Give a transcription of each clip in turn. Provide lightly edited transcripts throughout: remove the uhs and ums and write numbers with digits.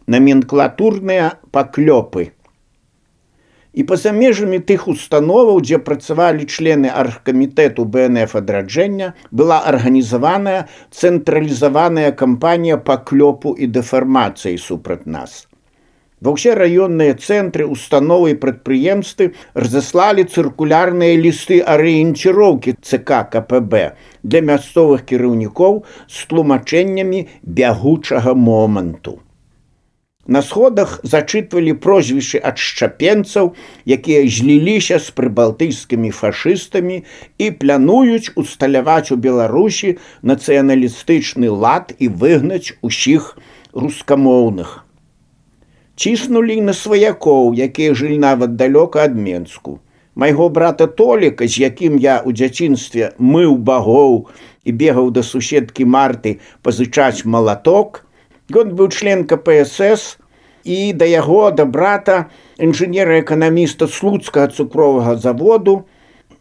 наменклатурныя паклёпы. І па-за межамі тых установаў, дзе працавалі члены аргкамітэту БНФ адраджэння, была арганізаваная цэнтралізаваная кампанія паклёпу і дэфармацыі супраць нас. Ва ўсе раённыя цэнтры, установы і прадпрыемствы разаслалі цыркулярныя лісты арыенціроўкі ЦК КПБ для мясцовых кіраўнікоў з тлумачэннямі бягучага моманту. На сходах зачытвалі прозвішчы адшчапенцаў, якія зліліся з прыбалтыйскімі фашыстамі і плануюць усталяваць у Беларусі нацыяналістычны лад і выгнаць усіх рускамоўных. Ціснулі на сваякоў, якія жылі нават далёка ад Менску. Майго брата Толіка, з якім я ў дзяцінстве мыў багоў і бегаў да суседкі Марты пазычаць малаток, ён быў член КПСС, і да яго, да брата, інжынера-эканаміста Слуцкага цукровага заводу,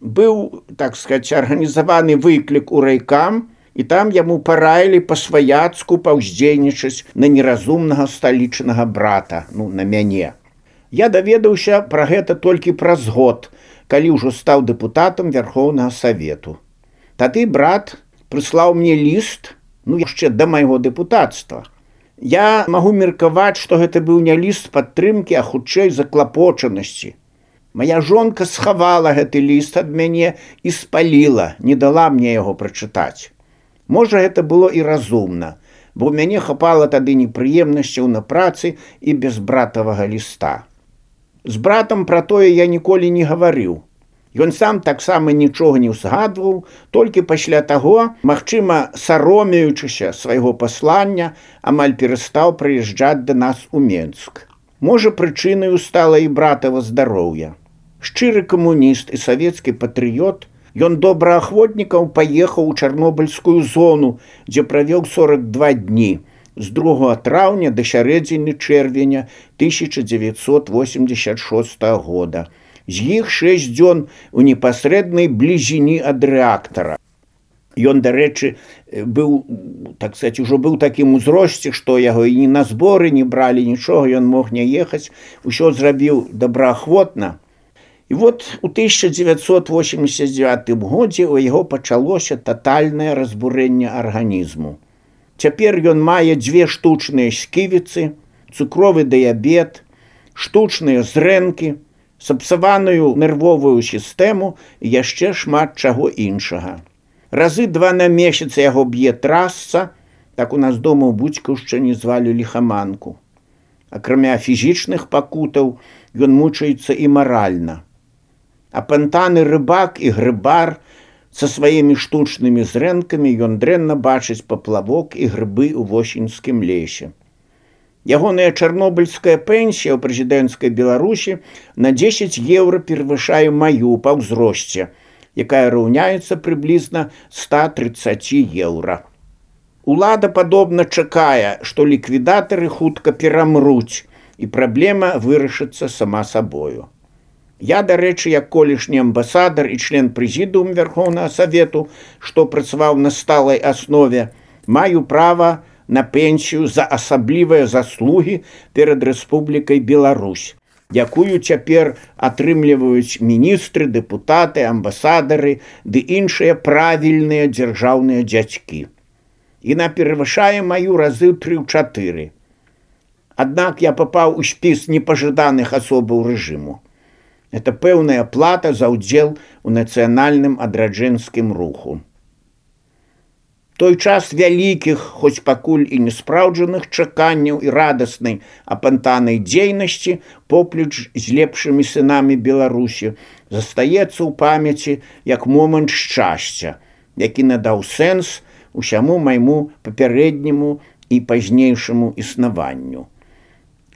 быў, так сказаць, арганізаваны выклік у райкам, і там яму параілі па-сваяцку паўздзейнічаць на неразумнага сталічнага брата, на мяне. Я даведаўся пра гэта толькі праз год, калі ўжо стаў дэпутатам Вярхоўнага Савету. Тады брат прыслаў мне ліст, яшчэ да майго дэпутацтва. Я магу меркаваць, што гэта быў не ліст падтрымкі, а хутчэй заклапочанасці. Мая жонка схавала гэты ліст ад мяне і спаліла, не дала мне яго прачытаць. Можа, гэта было і разумна, бо ў мяне хапала тады непрыемнасцяў на працы і без братавага ліста. З братам пра тое я ніколі не гаварыў. Ён сам таксама нічога не ўзгадваў, толькі пасля таго, магчыма, саромеючыся свайго паслання, амаль перастаў прыязджаць да нас у Менск. Можа, прычынаю стала і братава здароўя. Шчыры камуніст і савецкі патрыёт, ён добраахвотнікаў паехаў у Чарнобыльскую зону, дзе правёў 42 дні, з 2 траўня да сярэдзіны чэрвеня 1986 года. З іх 6 дзён у непасрэднай блізіні ад рэактара. Ён, дарэчы, быў, так сказаць, ужо быў такім узросце, што яго і на зборы не бралі нічога, ён мог не ехаць, усё зрабіў добраахвотна. І вот у 1989 годзе у яго пачалося татальнае разбурэнне арганізму. Цяпер ён мае 2 штучныя сківіцы, цукровы дыябет, штучныя зрэнкі, сапсаваную нервовую сістэму і яшчэ шмат чаго іншага. Разы 2 на месяц яго б'е трасца, так у нас дома ў Буцькаўшчыне звалі ліхаманку. Акрамя фізічных пакутаў, ён мучаецца і маральна. Апантаны рыбак і грыбар са сваімі штучнымі зрэнкамі ён дрэнна бачыць паплавок і грыбы ў восеньскім лесе. Ягоная чарнобыльская пенсія ў прэзідэнцкай Беларусі на 10 еўра перавышае маю па ўзросце, якая раўняецца прыблізна 130 еўра. Улада падобна чакае, што ліквідатары хутка перамруць, і праблема вырашыцца сама сабою. Я, дарэчы, як колішні амбасадар і член прэзідыума Вярхоўнага Савету, што працаваў на сталай аснове, маю права на пенсію за асаблівыя заслугі перад Рэспублікай Беларусь, якую цяпер атрымліваюць міністры, дэпутаты, амбасадары ды іншыя правільныя дзяржаўныя дзядзькі. Яна перавышае маю разы ў 3-4. Аднак я папаў у спіс непажаданых асобаў рэжыму. Это пэўная плата за ўдзел у нацыянальным адраджэнскім руху. Той час вялікіх, хоць пакуль і неспраўджаных чаканняў і радаснай апантанай дзейнасці поплеч з лепшымі сынамі Беларусі застаецца ў памяці як момант шчасця, які надаў сэнс усяму майму папярэдняму і пазнейшаму існаванню.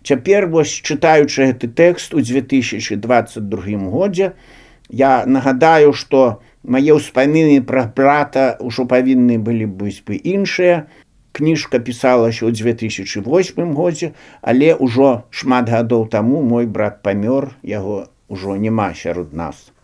Цяпер, вось, чытаючы гэты тэкст у 2022 годзе, я нагадаю, што мае ўспаміны пра брата ўжо павінны былі быць бы іншыя. Кніжка пісалася ў 2008 годзе, але ўжо шмат гадоў таму мой брат памёр, яго ўжо няма сярод нас.